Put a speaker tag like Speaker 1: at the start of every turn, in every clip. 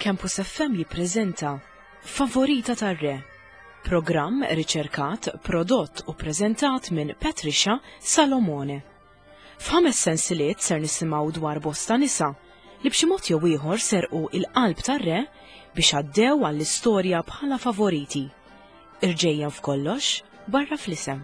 Speaker 1: Campus FM jippreżenta Favorita tar-Re, programm riċerkat, prodott u preżentat minn Patricia Salomone. F'ħames sensiliet ser nisimgħu dwar bosta nisa li b'xi mod jew ieħor serqu il-qalb tar-re biex għaddew għall-istorja bħala favoriti. Irġejjen f'kollox barra fl-isem.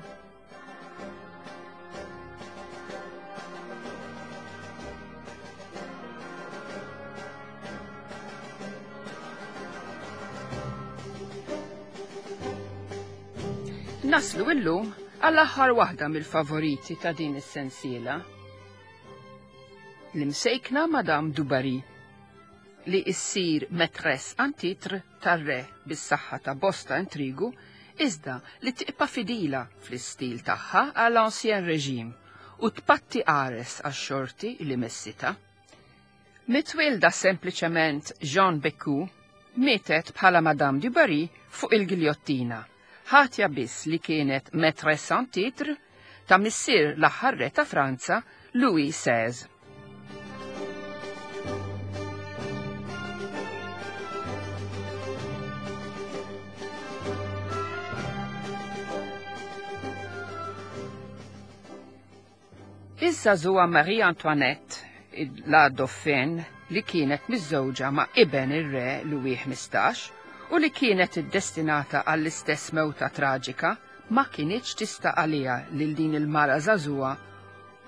Speaker 2: Naslu illum għall-aħħar waħda mill-favoriti ta' din is-sensiela. L-imsejkna Madame Dubarry li issir maîtresse en titre tar-re bis-saħħa ta' bosta intrigu iżda li tibqa' fidila fl-istil tagħha għal ancien régime u tpatti qares għax-xorti li messitha. Mitwielda sempliċement Jean Bécu, mietet bħala Madame du Barry fuq il-giljottina, ħatja biss li kienet maîtresse en titre ta' missier l-aħħar re ta' Franza, Louis XVI. Iż-żagħżugħa Marie Antoinette, la Dauphine, li kienet miżżewġa ma' iben ir-re Louis 15 u li kienet iddestinata għall-istess mewta traġika, ma kinitx tista' għaliha lil din il-mara żagħżugħa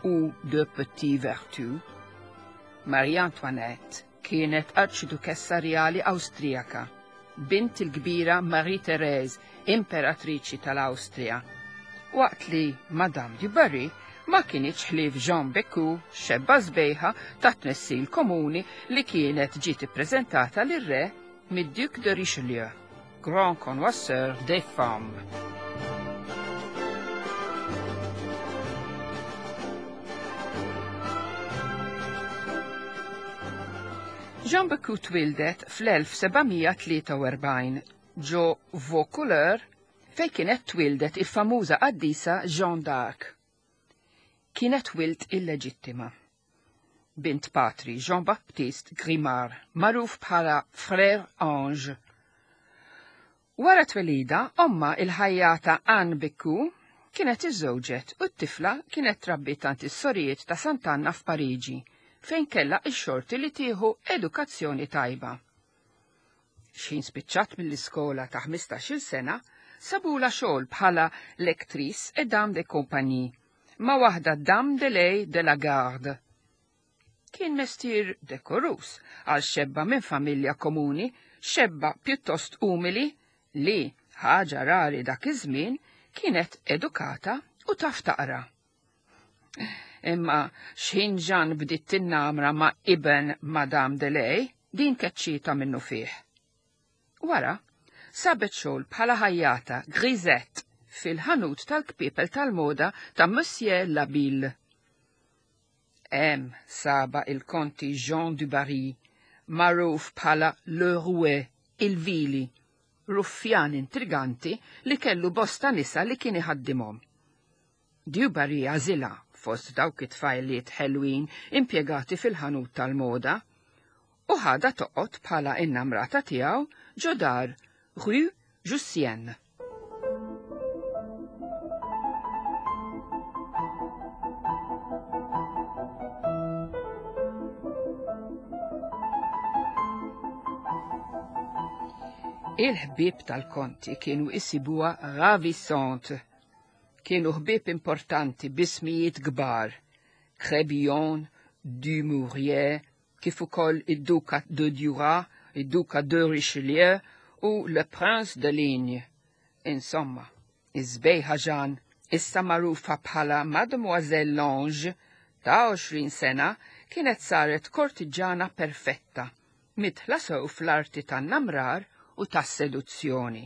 Speaker 2: u de petit vertu. Marie Antoinette kienet arċidukessa rjali Awstrijaka, bint il-kbira Marie Therese, imperatriċi tal-Awstrija, waqt li Madame du Barry ma kinitx ħlief Jean Bécu, xebba sbejħa ta' tnessil komuni li kienet ġiet ippreżentata lir-re mid-Duc de Richelieu, grand connoisseur des femmes. Jean Bécu twildet fl-1743 ġo Vaucouleurs fejn kienet twildet il-famuża qaddisa Jeanne d'Arc. Kienet wild illeġittima. Bint patri Jean-Baptiste Grimard, magħruf bħala Frère Ange. Wara twelida, omma il-ħajjata Anne Bécu kienet iżżewġet u t-tifla kienet trabbiet għand is-sorijiet ta' Sant'Anna f'Pariġi, fejn kellha x-xorti li tieħu edukazzjoni tajba. X'ħin spiċċat mill-iskola ta' 15-il sena, sabula xogħol bħala lectrice et dame de compagnie ma' waħda Dame de Lay de la Garde. Kien mestier dekorus għal xebba minn familja komuni, xebba pjuttost umili li, ħaġa rari dak iż-żmien, kienet edukata u taf taqra. Imma x'ħin Jeanne bdiet tinnamra ma' iben Madame de Lay, din keċċietha minnu fih. Wara, sabet xogħol bħala ħajjata grisette fil-ħanut tal-kpiepel tal-moda ta' Monsieur Labille. Hemm saba il-konti Jean du Barry, magħruf bħala Le Rouet, il-vili, ruffjan intriganti li kellu bosta nisa li kien iħaddimhom. Du Barry għażilha fost dawk it-tfajliet ħelwin impjegati fil-ħanut tal-moda u ħadha toqgħod bħala innamrata tiegħu ġo dar Rue Jussienne. Il-ħbieb tal-konti kienu isibuha ravissante. Kienu ħbieb importanti b'ismijiet kbar, Crébillon, Dumouriez, kif ukoll id-Duka de Duras, id-Duka de Richelieu u Le Prince de Ligne. Insomma, iż-żbejħa Jeanne, issa magħrufa bħala Mademoiselle Lange, ta' 20 sena, kienet saret kortiġġana perfetta, midħla sew fl-arti tan-namrar u tas-seduzzjoni.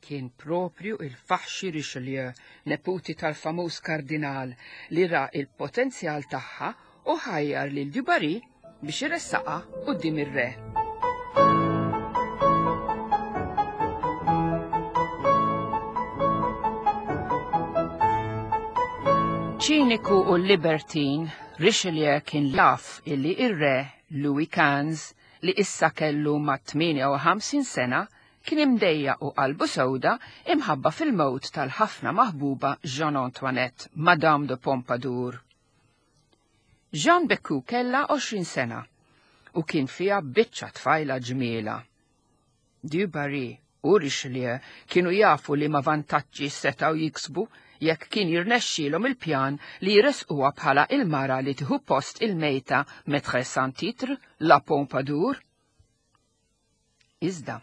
Speaker 2: Kien proprju il-faħxi Richelieu, neputi tal-famuż kardinal, li ra il-potenzjal tagħha u ħajjar lil du Barry biex iressaqha quddiem ir-re. Ċiniku u libertin, Richelieu kien jaf illi ir-re. Louis Quinze, li issa kellu ma' 58 sena, kien imdejjaq u qalbu sewda imħabba fil-mewt tal-ħafna maħbuba Jeanne Antoinette, Madame de Pompadour. Jeanne Bécu kellha 20 sena u kien fiha biċċa tfajla ġmiela. Du Barry u Richelieu kienu jafu liema vantaġġi setgħu jiksbu jekk kien jirnexxielhom il-pjan li jressquha bħala il-mara li tieħu post il-mejta maîtresse sans titre, la Pompadour. Iżda,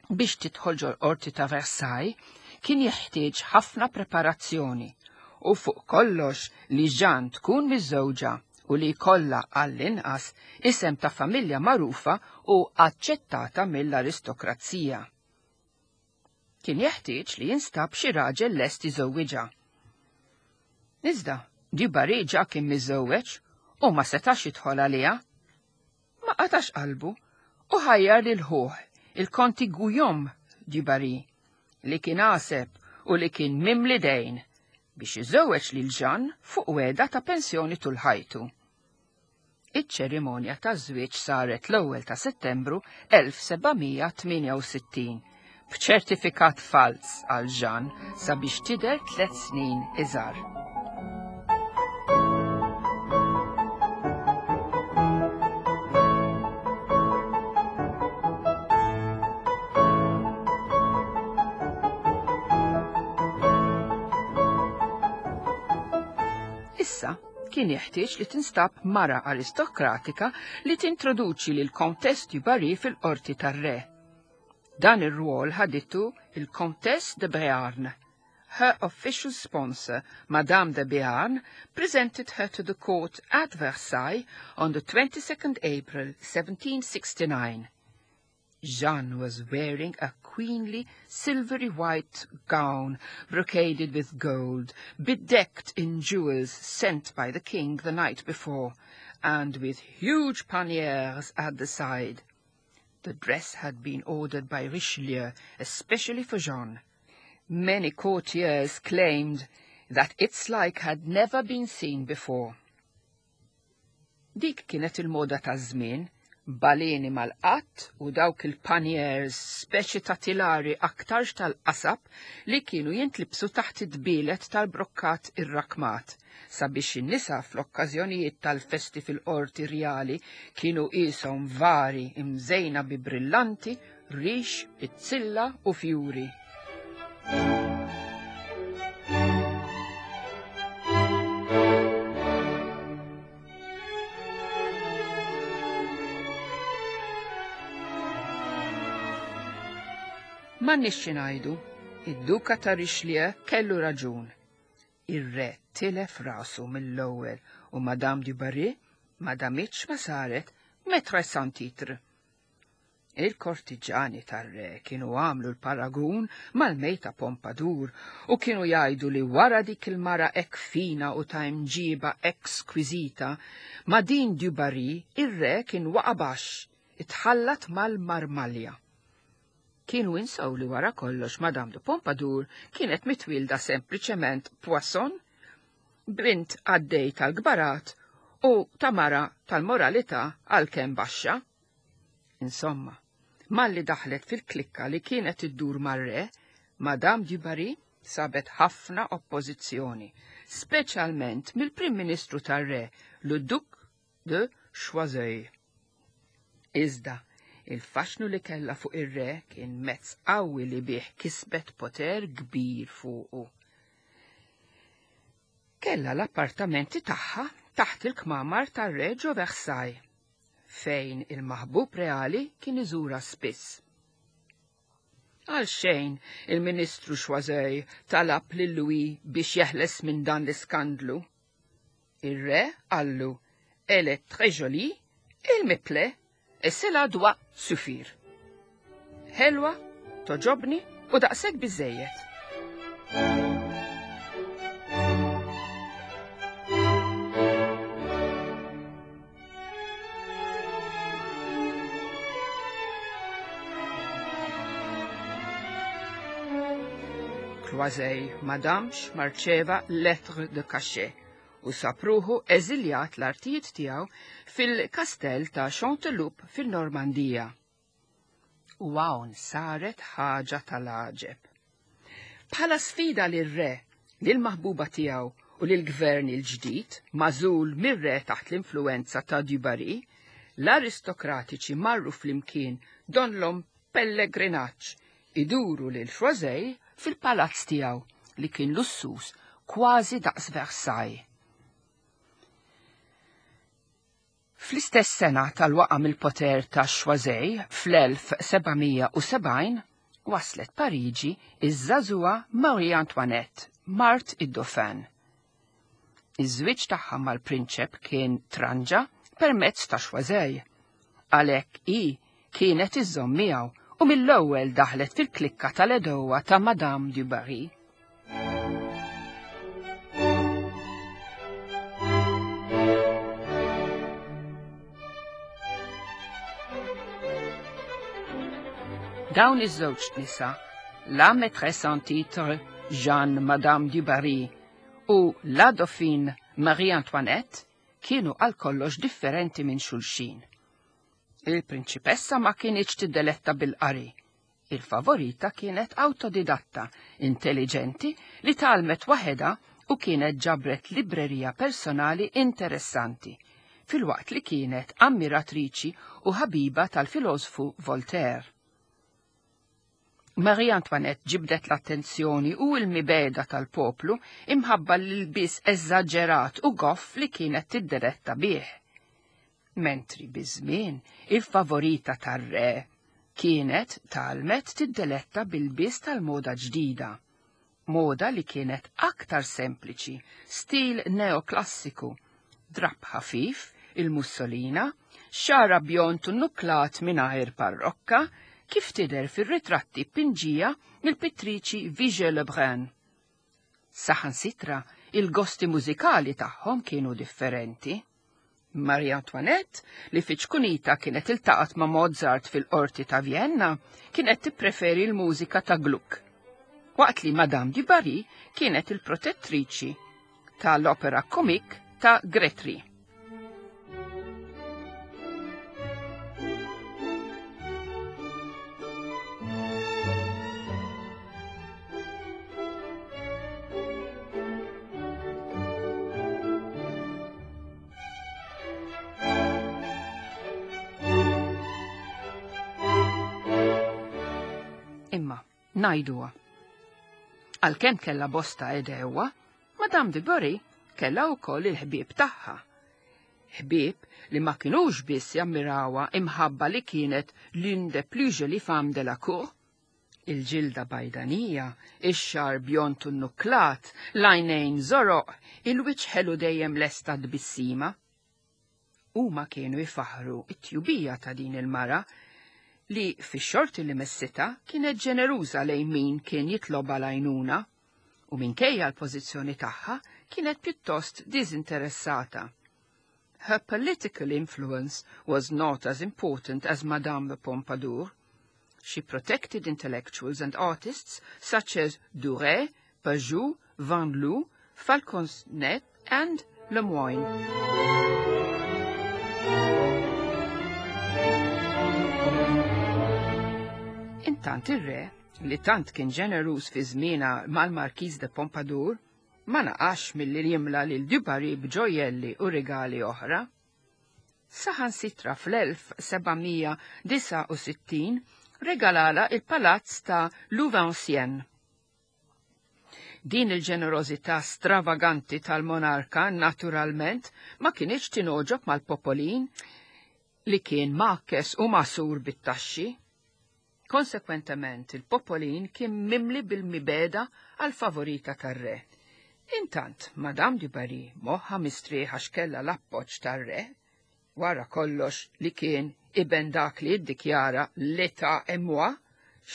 Speaker 2: biex tidħol ġol-qorti ta' Versailles kien jeħtieġ ħafna preparazzjoni u fuq kollox li Jeanne tkun miżżewġa u li jkollha għall-inqas isem ta' familja magħrufa u aċċettata mill-aristokrazija. Kien jeħtieġ li jinstab xi raġel lest iżewwiġha. Iżda, Du Barry ġa kien miżżewweġ u ma setax jidħol għaliha. Ma qatax qalbu u ħajjar lil ħuh, il-Konti Guillaume du Barry, li kien għaseb u li kien mimli dejn, biex iżewweġ lil Jeanne fuq wegħda ta' pensjoni tul ħajtu. Iċ-ċerimonja taż-żwieġ saret l-ewwel ta' Settembru 1768 b'ċertifikat falz għal Jeanne sabiex tidher tliet snin iżgħar. Issa kien jeħtieġ li tinstab mara aristokratika li tintroduċi lil Comtesse du Barry fil-qorti tar-re. Dan ir-rwol ħaditu il-Comtesse de Béarn. Her official sponsor, Madame de Béarn, presented her to the court at Versailles on the 22nd April 1769. Jeanne was wearing a queenly silvery white gown brocaded with gold, bedecked in jewels sent by the king the night before, and with huge panniers at the side. The dress had been ordered by Richelieu especially for Jeanne. Many courtiers claimed that its like had never been seen before. Dik kienet il-moda taż-żmien, baleni mal-qatt u dawk il-panniers speċi ta' tilari aktarx tal-qasab li kienu jintlibsu taħt id-dbielet tal-brokkat irrakmat, sabiex in-nisa fl-okkażjonijiet tal-festi fil-qorti rjali kienu qishom vari imżejna bi brillanti, rix, pizzilla u fjuri. M'għandniex xi ngħidu, id-Duka ta' Richelieu kellu raġun. Ir-re tilef rasu mill-ewwel u Madame du Barry ma damitx ma saret maîtresse sans titre. Il-kortiġani tar-re kienu għamlu l-paragun mal-mejta Pompadour u kienu jgħidu li wara dik il-mara hekk fina u ta' imġiba hekk skwiżita, ma' din du Barry ir-re kien waqa' baxx, itħallat mal-marmalja. Kienu insew li wara kollox Madame de Pompadour kienet mitwielda sempliċement Poisson, bint qaddej tal-kbarat u ta' mara tal-moralità għalkemm baxxa. Insomma, malli daħlet fil-klikka li kienet iddur mar-re, Madame du Barry sabet ħafna oppożizzjoni, speċjalment mill-Prim Ministru tar-re, le Duc de Choiseul. Iżda, il-faxnu li kellha fuq ir-re kien mezz qawwi li bih kisbet poter kbir fuqu. Kellha l-appartamenti tagħha taħt il-kmamar tar-re ġo Versailles, fejn il-maħbub reali kien iżurha spiss. Għal xejn il-Ministru Choiseul talab lil Louis biex jeħles minn dan l-iskandlu. Ir-re qallu, Elle est très jolie, elle me plaît, et cela doit suffire. Ħelwa, toġobni u daqshekk biżejjed. Croisey ma damx ma rċeva lettre de cachet. u sab ruħu eżiljat l-artijiet tiegħu fil-kastell ta' Chanteloup fin-Normandija. U hawn saret ħaġa tal-għaġeb. Bħala sfida lir-re, lill-maħbuba tiegħu u lill-gvern il-ġdid magħżul mir-re taħt l-influwenza ta' du Barry, l-aristokratiċi marru flimkien donlhom pellegrinaġġ iduru lil Choiseul fil-palazz tiegħu li kien lussuż kważi daqs Versailles. Fl-istess sena tal-waqa' mill-poter ta' Choiseul fl-1770, waslet Pariġi iż-żagħżugħa Marie Antoinette, mart id-Dauphin. Iż-żwieġ tagħha mal-prinċep kien tranġa permezz ta' Choiseul. Għalhekk hi kienet iżżomm miegħu u mill-ewwel daħlet fil-klikka tal-għedewwa ta' Madame du Barry. Dawn iż-żewġ nisa, la maîtresse en titre Jeanne Madame du Barry u la Dauphine Marie Antoinette, kienu għal kollox differenti minn xulxin. Il-prinċipessa ma kinitx tiddeletta bil-qari. Il-favorita kienet awtodidatta, intelliġenti, li tgħallmet waħedha u kienet ġabret librerija personali interessanti, filwaqt li kienet ammiratriċi u ħabiba tal-filosfu Voltaire. Marie Antoinette ġibdet l-attenzjoni u l-mibegħda tal-poplu imħabba l-ilbies eżaġerat u goff li kienet tiddeletta bih. Mentri biż-żmien il-favorita tar-re kienet tgħallmet tiddeletta b'ilbies tal-moda ġdida. Moda li kienet aktar sempliċi, stil neoklassiku, drapp ħafif, il-mussolina, xagħar bjond u nuklat mingħajr parrokka, kif tidher fir-ritratti pinġija mill-pittriċi Vigée Lebrun. Saħansitra il-gosti mużikali tagħhom kienu differenti. Marie Antoinette, li fi ċkunita kienet iltaqgħet ma' Mozart fil-qorti ta' Vienna, kienet tippreferi l-mużika ta' Gluck. Waqt li Madame du Barry kienet il-protettriċi tal-opera comique ta' Gretry. Imma, ngħiduha. Għalkemm kellha bosta għedewwa, Madame de Barry kellha wkoll il-ħbieb tagħha. Ħbieb li ma kinux biss jammirawha imħabba li kienet l'une des plus jolies femmes de la cour, il-ġilda bajdanija, ix-xagħar bjond u nnuklat, l-għajnejn żoroq, il-wiċċ ħelu dejjem lesta tbissima. Huma kienu jfaħħru t-tjubija ta' din il-mara li fix-xorti li messitha kienet ġeneruża lejn min kien jitlobha l-għajnuna u minkejja l-pożizzjoni tagħha kienet pjuttost diżinteressata. Her political influence was not as important as Madame de Pompadour. She protected intellectuals and artists such as Duret, Pajou, Van Loo, Falconet and Lemoyne. Intant ir-re, li tant kien ġeneruż fi żmienha mal-Marquise de Pompadour, ma naqasx milli jimla lil du Barry b'ġojjelli u rigali oħra. Saħansitra fl-1769 regalala il-palazz ta' Louveciennes. Din il-ġenerożità stravaganti tal-monarka naturalment ma kinitx tingħoġob mal-popolin li kien mgħakkes u magħsur bit-taxxi. Konsekwentement, il-popolin kien mimli bil-mibegħda għall-favorita tar-re. Intant, Madame du Barry moħħha mistrieħ għax kellha l-appoġġ tar-re, wara kollox li kien iben dak li ddikjara l'état est moi,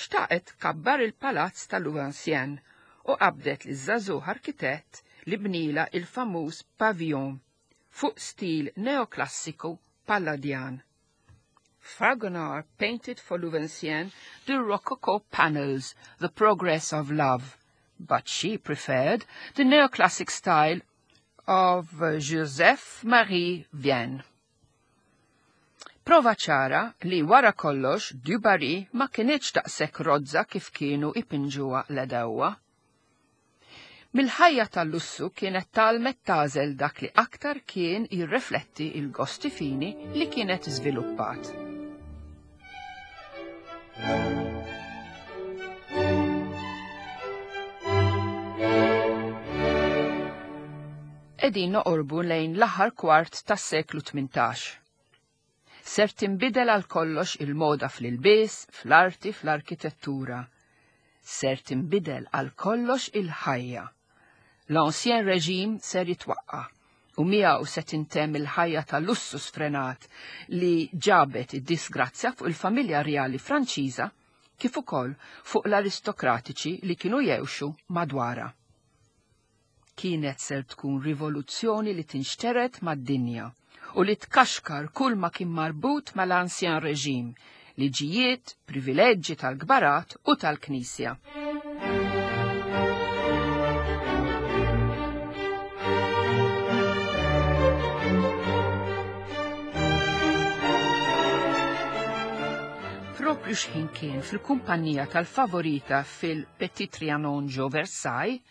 Speaker 2: xtaqet tkabbar il-palazz ta' Louveciennes u qabdet liż-żagħżugħ arkitett li bnielha il-famuż pavillon fuq stil neoklassiku Palladjan. Fragonard painted for Louveciennes the Rococo panels, The Progress of Love, but she preferred the neoclassic style of Joseph Marie Vienne. Prova ċara li wara kollox du Barry ma kinitx daqshekk rozza kif kienu ipinġuha l-għedewwa. Mill-ħajja tal-lussu kienet tgħallmet tagħżel dak li aktar kien jirrefletti il-gosti fini li kienet żviluppat. Qegħdin noqorbu lejn l-aħħar kwart tas-seklu 18. Ser tinbidel għal kollox il-moda fl-ilbies, fl-arti, fl-arkitettura. Ser tinbidel għal kollox il-ħajja. L-Ancien Régime ser jitwaqqa' u miegħu se tintemm il-ħajja ta' lussu sfrenat li ġabet id-disgrazzja fuq il-familja rjali Franċiża kif ukoll fuq l-aristokratiċi li kienu jgħixu madwarha. Kienet ser tkun rivoluzzjoni li tinxtered mad-dinja u li tkaxkar kull ma kien marbut mal-Ancien Régime, liġijiet, privileġġi tal-kbarat u tal-Knisja. Propju x'ħin kien fil-kumpanija tal-favorita fil-Petit Trianon ġo Versailles,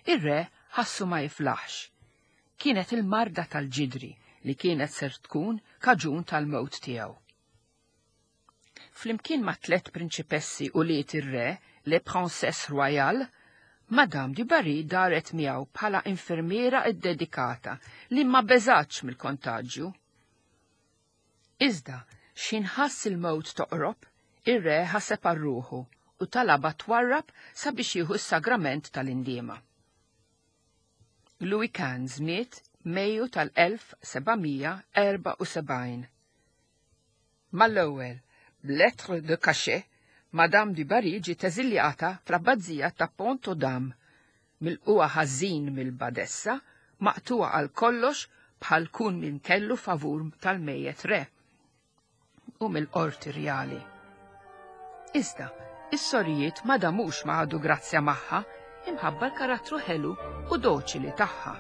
Speaker 2: Ir-re ħassu ma jiflaħx. Kienet il-marda tal-ġidri li kienet ser tkun kaġun tal-mewt tiegħu. Flimkien ma' tlett prinċipessi ulied ir-re, les princesses royales, Madame du Barry daret miegħu bħala infermiera ddedikata li ma beżgħatx mill-kontaġġju. Iżda, x'ħin ħass il-mewt toqrob, ir-re ħaseb għal ruħu u talabha twarrab sabiex jieħu s-sagrament tal-indiema. Louis Quinze miet Mejju tal-1774. Mal-ewwel, b'lettre de cachet, Madame du Barry ġiet eżiljata fl-abbazija ta' Pont-aux-Dames, milqugħa ħażin mill-badessa, maqtugħa għal kollox bħal kull min kellu favur tal-mejjet re u mill-qorti rjali. Iżda, is-sorijiet ma damux ma ħadu grazzja magħha imħabba l-karattru ħelu u doċili tagħha.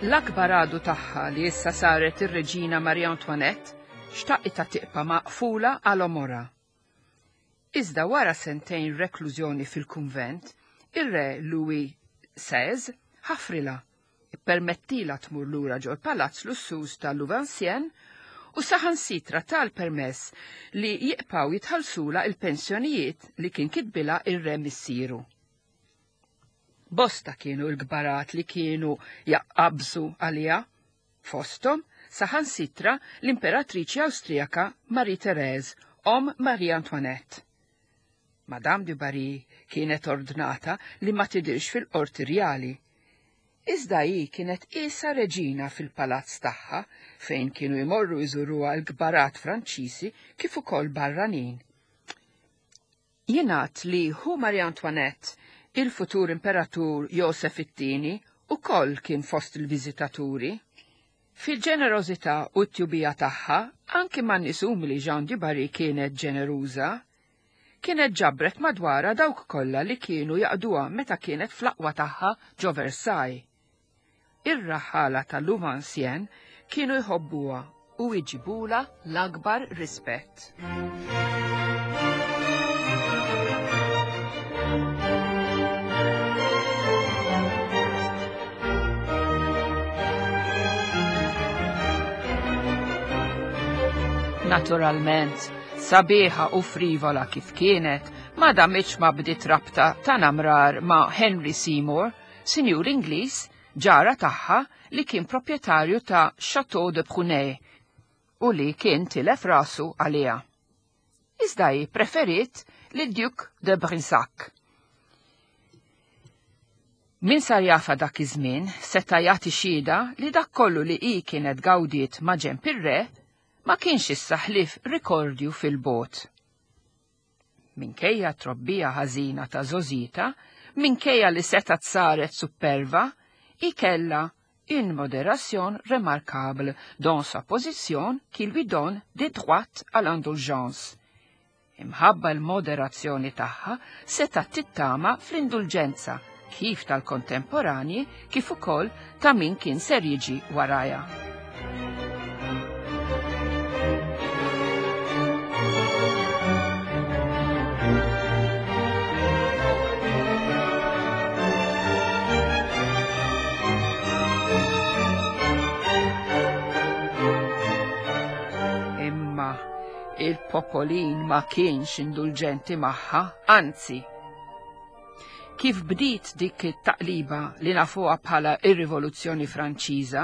Speaker 2: L-akbar għadu tagħha li issa saret ir-Reġina Marie Antoinette xtaqitha tiqpa' maqfula għal għomorha. Iżda wara sentejn reklużjoni fil-kunvent, ir-Re Louis XVI ħafrilha, ippermettilha tmur lura ġol-palazz lussuż ta' Louveciennes u saħansitra ta l-permess li jibqgħu jitħallsulha l-pensjonijiet li kien kitbilha r-re missieru. Bosta kienu l-kbarat li kienu jaqabżu għaliha, fosthom saħansitra l-Imperatriċi Awstrijaka Marie Therese, omm Marie Antoinette. Madame du Barry kienet ordnata li ma tidhirx fil-qorti rjali. Iżda hi kienet qiesha reġina fil-palazz tagħha fejn kienu jmorru jżuruha l-kbarat Franċiżi kif ukoll barranin. Jingħad li ħu Marie Antoinette, il-futur Imperatur Josef it-Tieni, ukoll kien fost il-viżitaturi. Fil-ġenerożità u t-tjubija tagħha, anki man-nies umli Jeanne du Barry kienet ġeneruża. Kienet ġabret madwarha dawk kollha li kienu jaqduha meta kienet fl-aqwa tagħha ġo Versailles. Ir-raħħala ta' Louveciennes kienu jħobbuha u jġibulha l-akbar rispett. Naturalment, sabiħa u frivola kif kienet, ma damitx ma bdiet rabta ta' namrar ma' Henry Seymour, sinjur Ingliż, ġara tagħha li kien proprjetarju ta' Château de Prunay u li kien tilef rasu għaliha. Iżda hi preferiet lid Duc de Brissac. Min sar jafha dak iż-żmien seta' jagħti xhieda li dak kollu li hi kienet gawdiet ma' ġenb ir-re ma kienx issa ħlief rikordju fil-bogħod. Minkejja t-trobbija ħażina ta' żgħożitha, minkejja li setgħet saret supperva, hi kellha une modération remarquable dans sa position qui lui donne des droits à l'indulgence. Imħabba l-moderazzjoni tagħha setgħet tittama fl-indulġenza kif tal-kontemporanji kif ukoll ta' min kien ser jiġi warajha. Imma il-popolin ma kienx indulġenti magħha, anzi. Kif bdiet dik it-taqliba li nafuha bħala ir-Rivoluzzjoni Franċiża,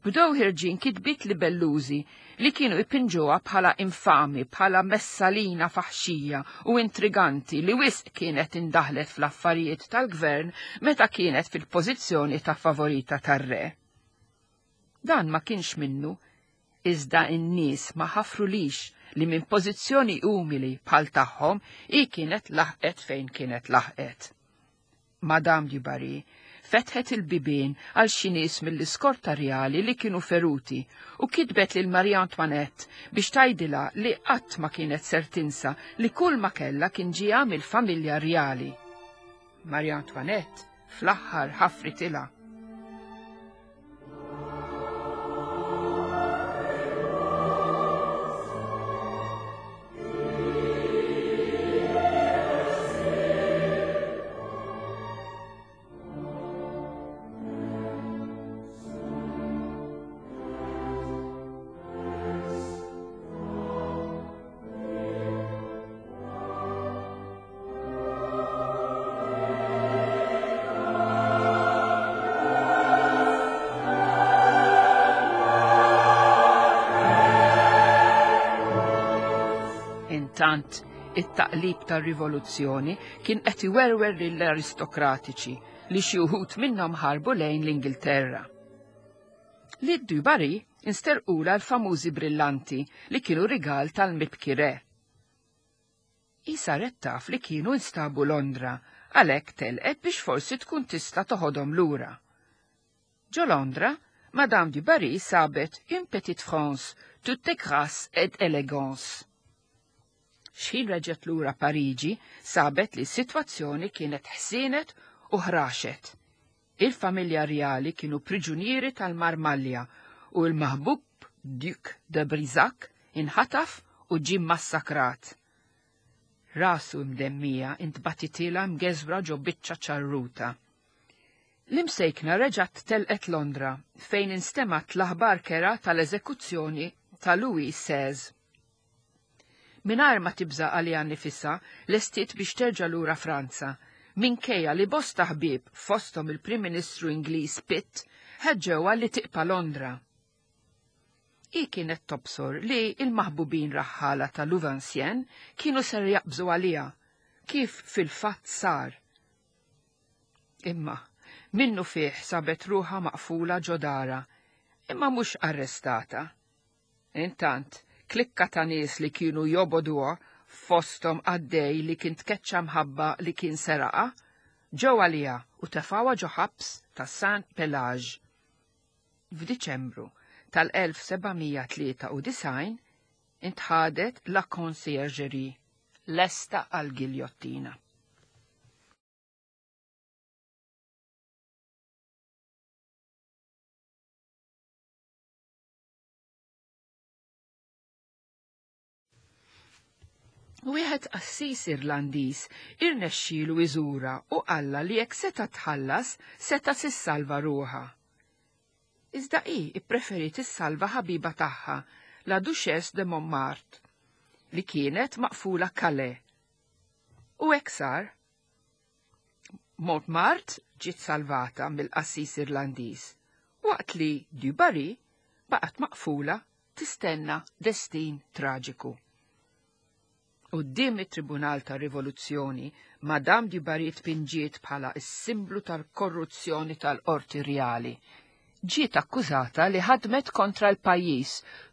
Speaker 2: bdew ħirġin kitbiet libellużi li kienu jpinġuha bħala infami, bħala messalina faħxija u intriganti li wisq kienet indaħlet fl-affarijiet tal-gvern meta kienet fil-pożizzjoni ta' favorita tar-re. Dan ma kienx minnu, iżda n-nies ma ħafrulix li minn pożizzjoni umili bħal tagħhom hi kienet laħqet fejn kienet laħqet. Madame du Barry fetħet il-bibien għal xi nies mill-iskorta rjali li kienu feruti u kitbet lil Marie Antoinette biex tgħidilha li qatt ma kienet ser tinsa li kull ma kellha kien ġieha mill-familja rjali. Marie Antoinette fl-aħħar ħafritilha. Intant, it-taqlib tar-rivoluzzjoni kien qed iwerwer lill-aristokratiċi li xi wħud minnhom ħarbu lejn l-Ingilterra. Lid du Barry insterqula l-famużi brillanti li kienu rigal tal-mibki re. Hi saret taf li kienu nstabu Londra, għalhekk telqet biex forsi tkun tista' toħodhom lura. Ġo Londra, Madame du Barry sabet une petite France, toute grâce et élégance. X'ħin reġgħet lura Pariġi, sabet li s-sitwazzjoni kienet ħsienet u ħraxet. Il-familja rjali kienu priġunieri tal-Marmalja u l-maħbub Duc de Brissac inħataf u ġie mmassakrat. Rasu mdemmija intbatitilha mgeżwra ġo biċċa ċarruta. L-imsejkna reġgħet telqet Londra fejn instemgħet l-aħbar kerha tal-eżekuzzjoni ta' Louis XVI. Mingħajr ma tibża' għaliha nnifisha, lestiet biex terġa' lura Franza, minkejja li bosta ħbieb, fosthom il-Prim Ministru Ingliż Pitt, ħeġġewha li tiqpa' Londra. Hi kienet tobsor li l-maħbubin raħħala ta' Louveciennes kienu ser jaqbżu għaliha, kif fil-fatt sar. Imma, minnufih sabet ruħha maqfula ġo darha, imma mhux arrestata. Intant, klikka ta' nies li kienu jobogħduha, fosthom qaddej li kien tkeċċa mħabba li kien seraqha, ġew għaliha u tefgħuha ġo ħabs ta' Saint-Pelage. F'Diċembru tal-1793 intħadet La Conciergerie, lesta għall-giljottina. Wieħed qassis Irlandiż irnexxielu iżurha u qallha li jekk seta' tħallas seta' sissalva ruħha. Iżda hi ppreferiet issalva ħabiba tagħha, la Duchesse de Montmartre, li kienet maqfula Calais. U hekk sar. Montmartre ġiet salvata mill-qassis Irlandiż, waqt li Du Barry baqgħet maqfula tistenna destin traġiku. Quddiem it-Tribunal tar-Rivoluzzjoni, Madame du Barry tpinġiet bħala s-simblu tal-korruzzjoni tal-Qorti Rjali. Ġiet akkużata li ħadmet kontra l-pajjiż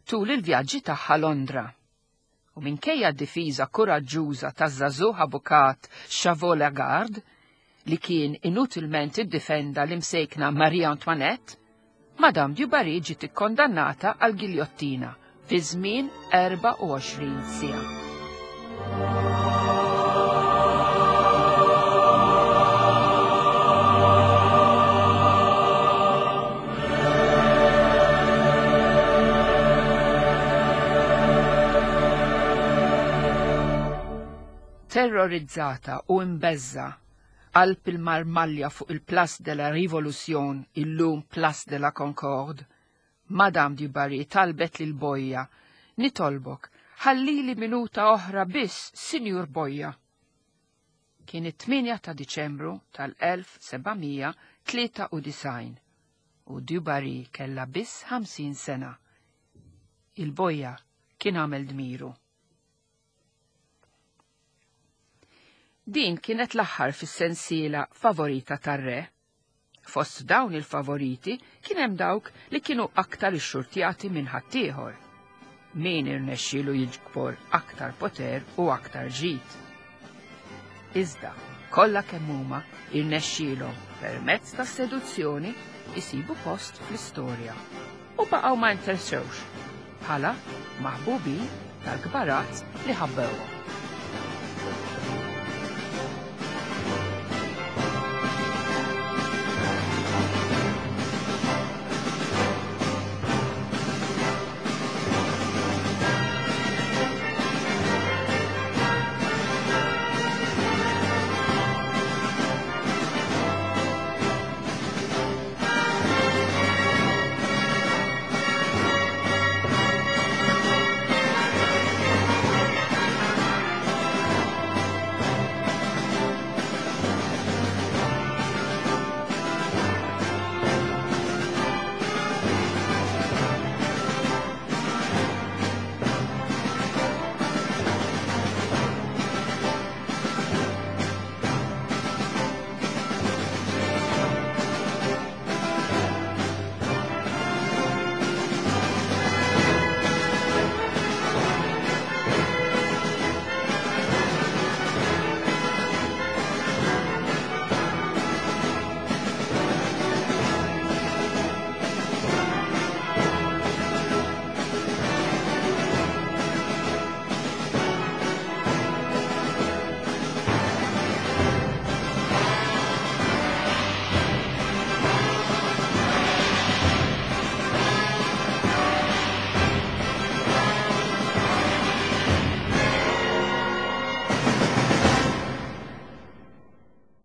Speaker 2: tul il-vjaġġi tagħha Londra. U minkejja d-difiża kuraġġuża taż-żagħżugħ avukat Chavot Lagarde, li kien inutilment iddifenda l-imsejkna Marie Antoinette, Madame du Barry ġiet ikkondannata għal giljottina fi żmien 24 siegħa. Terrorizzata u imbeżża' qalb il-marmalja fuq il-Place de la Révolution, illum Place de la Concorde, Madame du Barry talbet lil Bojja, Nitolbok, ħallili minuta oħra biss, Sinjur Bojja. Kien it-8 ta' Diċembru tal-1793 u du Barry kellha biss 50 sena. Il-Bojja kien għamel dmiru. Din kienet l-aħħar fis-sensiela favorita tar-re. Fost dawn il-favoriti kien hemm dawk li kienu aktar ixxurtjati minn ħaddieħor. Min irnexxielu jiġbor aktar poter u aktar ġid. Iżda, kollha kemm huma irnexxielhom permezz tas-seduzzjoni isibu post fl-istorja u baqgħu ma interessewx bħala maħbubin tal-kbarat li ħabbewhom.